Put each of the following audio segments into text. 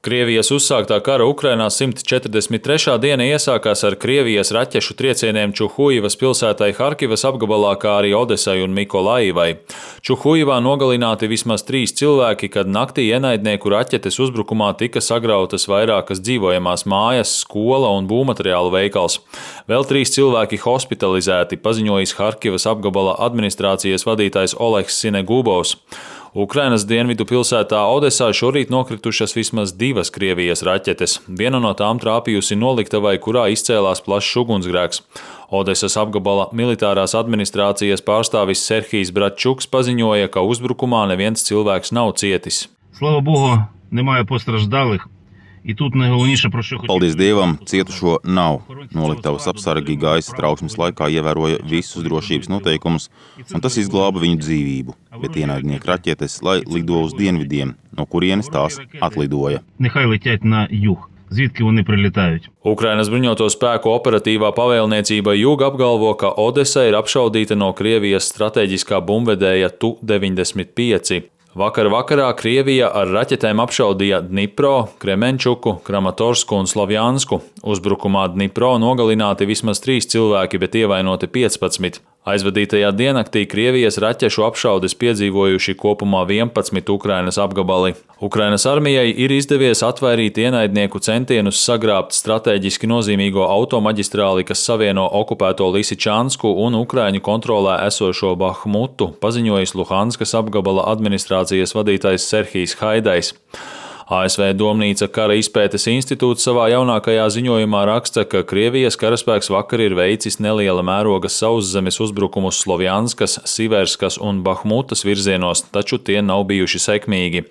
Krievijas uzsāktā kara Ukrainā 143. diena iesākās ar Krievijas raķešu triecieniem Čuhujivas pilsētai Harkivas apgabalā, kā arī Odesai un Mikolaivai. Čuhujivā nogalināti vismaz 3 cilvēki, kad naktī ienaidnieku raķetes uzbrukumā tika sagrautas vairākas dzīvojamās mājas, skola un būvmateriālu veikals. Vēl 3 cilvēki hospitalizēti, paziņojis Harkivas apgabala administrācijas vadītājs Oleks Sinegubovs. Ukrainas dienvidu pilsētā Odesā šorīt nokritušas vismaz 2 Krievijas raķetes. Viena no tām trāpījusi noliktavai, kurā izcēlās plašs ugunsgrēks. Odesas apgabala militārās administrācijas pārstāvis Serhijs Bratčuks paziņoja, ka uzbrukumā neviens cilvēks nav cietis. Slava Bogu, nemāja postраждалих. Paldies Dievam, cietušo nav. Noliktavas apsargi gaisa trauksmes laikā ievēroja visus drošības noteikumus, un tas izglāba viņu dzīvību, bet ienaidnieku raķetes, lai lido uz dienvidiem, no kurienes tās atlidoja. Ukrainas bruņoto spēku operatīvā pavēlniecība Jūga apgalvo, ka Odesa ir apšaudīta no Krievijas strateģiskā bumbvedēja Tu-95. Vakarā Krievija ar raķetēm apšaudīja Dnipro, Kremenčuku, Kramatorsku un Slovjansku. Uzbrukumā Dnipro nogalināti vismaz 3 cilvēki, bet ievainoti 15. Aizvadītajā diennaktī Krievijas raķešu apšaudes piedzīvojuši kopumā 11 Ukrainas apgabali. Ukrainas armijai ir izdevies atvairīt ienaidnieku centienus sagrābt strateģiski nozīmīgo automaģistrāli, kas savieno okupēto Lisičansku un Ukraiņu kontrolē esošo Bahmutu, paziņojis Luhanskas apgabala administrācijas vadītājs Serhijs Haidais. ASV Domnīca kara izpētes institūts savā jaunākajā ziņojumā raksta, ka Krievijas karaspēks vakar ir veicis neliela mēroga sauszemes uzbrukumus Slovjanskas, Siverskas un Bahmutas virzienos, taču tie nav bijuši sekmīgi.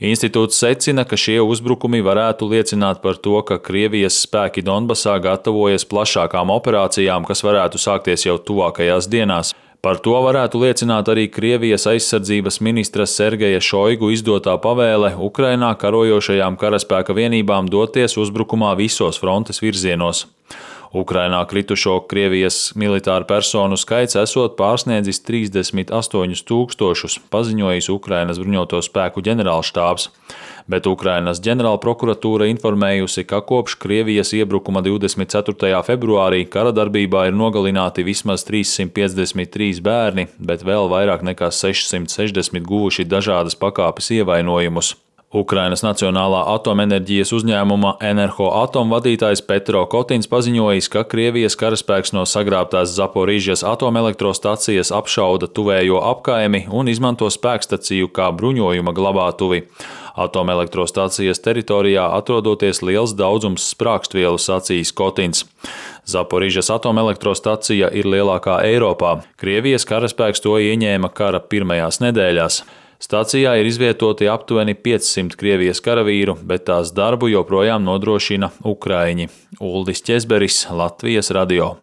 Institūts secina, ka šie uzbrukumi varētu liecināt par to, ka Krievijas spēki Donbasā gatavojas plašākām operācijām, kas varētu sākties jau tuvākajās dienās. Par to varētu liecināt arī Krievijas aizsardzības ministra Sergeja Šoigu izdotā pavēle Ukrainā karojošajām karaspēka vienībām doties uzbrukumā visos frontes virzienos. Ukrainā kritušo Krievijas militāru personu skaits esot pārsniedzis 38 000, paziņojis Ukrainas bruņoto spēku ģenerālštābs. Bet Ukrainas ģenerālprokuratūra informējusi, ka kopš Krievijas iebrukuma 24. februārī kara darbībā ir nogalināti vismaz 353 bērni, bet vēl vairāk nekā 660 guvuši dažādas pakāpes ievainojumus. Ukrainas Nacionālā atomenerģijas uzņēmuma Enerhoatom vadītājs Petro Kotins paziņojis, ka Krievijas karaspēks no sagrābtās Zaporīžas atomelektrostacijas apšauda tuvējo apkaimi un izmanto spēkstaciju kā bruņojuma glabātuvi. Atomelektrostacijas teritorijā atrodoties liels daudzums sprākstvielu, sacījis Kotins. Zaporīžas atomelektrostacija ir lielākā Eiropā. Krievijas karaspēks to ieņēma kara pirmajās nedēļās. Stacijā ir izvietoti aptuveni 500 Krievijas karavīru, bet tās darbu joprojām nodrošina Ukraiņi. Uldis Ķezberis, Latvijas radio.